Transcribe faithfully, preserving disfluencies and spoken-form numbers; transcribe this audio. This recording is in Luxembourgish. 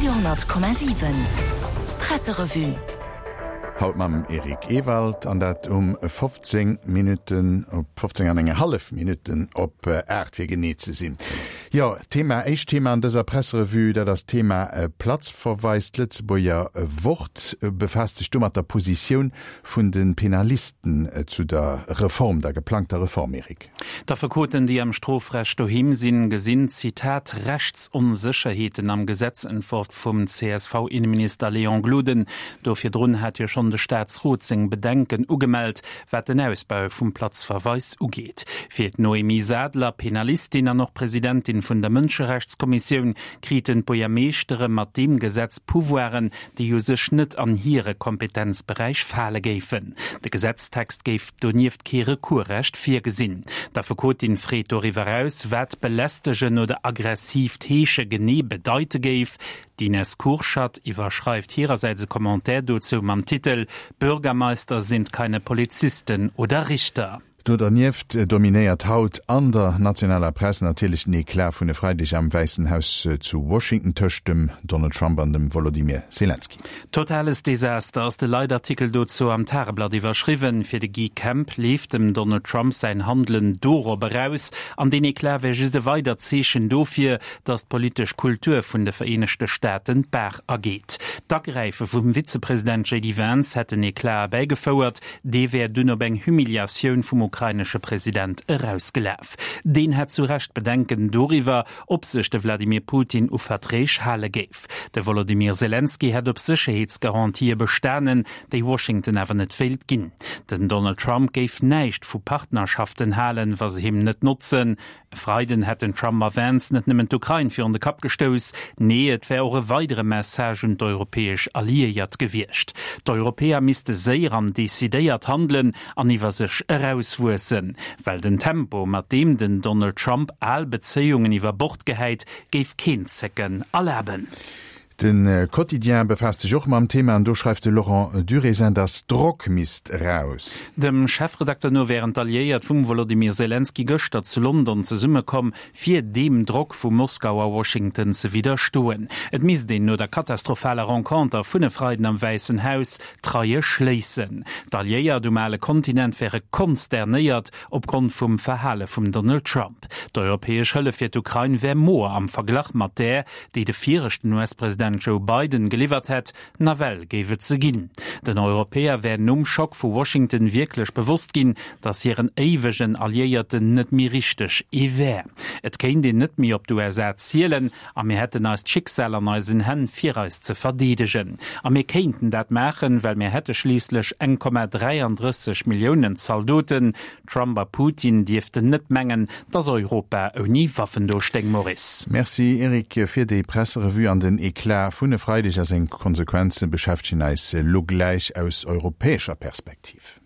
Radio honnert Komma siwen Presserevue. Haut mam Eric Ewald an dat um fofzéng Minutten op fofzéng an eng hallef Minutten op aacht fir genee ze sinn. Jo, Thema, éischt Thema an dëser Presserevue, dat ass d'Thema Platzverweis. D'Lëtzebuerger Wort befaasst sech do mat der Positioun vun de Penalisten zu der Reform, der geplangter Reform, Eric. D'Affekoten, déi am Strofrecht doheem sinn, gesinn, Zitat, Rechtsonsécherheeten am Gesetzentworf vum C S V-Inneminister Léon Gloden. Do virdrun hat jo schonn de Staatsrot seng Bedenken ugemellt, wat den Ausbau vum Platzverweis ugeet. Fir d'Noémie Sadler, Penalistin an och Presidentin vun der Mënscherechtskommissioun, kriten d'Buergermeeschtere mat deem Gesetz Pouvoiren, déi u sech net an hire Kompetenzberäich fale géifen. De Gesetztext géif donieft kee Recoursrecht virgesinn. D'Affekotin freet doriwwer eraus, wat belästegen oder aggressiivt Heesche genee bedeite géif. D'Ines Kurschat iwwerschreift hirersäits e Commentaire dozou mam Titel Bürgermeister sind keine Polizisten oder Richter. Do dernieft dominéiert haut an der nationaler Press natierlech den Eclat vun e Freideg am Wäissen Haus zu Washington tëscht dem Donald Trump an dem Wolodymyr Selenskyj. Totales Desaster ass de Leitartikel dozou am Tageblatt iwwerschriwwen. Fir de Guy Kemp leeft dem Donald Trump säin Handelen dorop eraus, an deen Eclat wär just e weidert Zeechen dofir, datt d'politesch Kultur vun de Vereenegte Staaten d'Baach ergeet. D'Agräife vum Vizepresident J D Vance hätt den Eclat erbäigefouert, dee wär dunn op eng Humiliatioun vum ukrainesche President erausgelaf. Deen hätt zu Recht Bedenken doriwwer, ob sech de Wladimir Putin u Verträg hale géif. De Wolodymyr Selenskyj hätt op Sécherheetsgarantië bestanen, déi Washington awer net wéilt ginn. Den Donald Trump géif näischt vu Partnerschaften halen, wa se him net notzen. E Freiden hätten Trump a Vance net nëmmen d'Ukrain virun de Kapp gestouss, nee et wär och e weidere Message un d'europäesch Alliéiert gewiescht. D'Europäer misste séier an decidéiert handelen an iwwer sech erauswuessen, well den Tempo, mat deem den Donald Trump al Bezéiungen iwwer Bord gehäit, géif keen Zécken erlaben. De Quotidien befaasst sech och mam Thema an do schreift de Laurent Durésin, dass Drock misst eraus. Dem Chefredakter no wären d'Alliéiert vum Wolodymyr Selenskyj gëschter zu London zesummekomm, fir deem Drock vu Moskau a Washington ze widderstoen. Et misst een no der katastrophaler Renconter vun e Freiden am Wäissen Haus d'Reie schléissen. D'Alliéiert um ale Kontinent wäre konsternéiert opgrond vum Verhale vum Donald Trump. D'europäesch Hëllef fir d'Ukrain wär moer am Verglach mat där, déi de viregten U S-President Joe Biden geliwwert hätt, nawell géif et se ginn. Den Europäer wär nom Schock vu Washington wierklech bewosst ginn, datt hiren éiwegen Alliéierten net méi richteg ee wär. Et kéint een net méi op d'U S A zielen a mir hätten eist Schicksal an eisen Hänn fir eis ze verdeedegen. A mir kéinten dat maachen, well mir hätte schliisslech eng Komma dräiandrësseg Milliounen Zaldoten. Trump a Putin dierften net mengen, datt Europa ouni Waffen do stéing, Maurice. Merci Eric fir déi Presserevue an den Eclat vun e Freideg a seng Konsequenze beschäftegen eis lo gläich aus europäescher Perspektiv.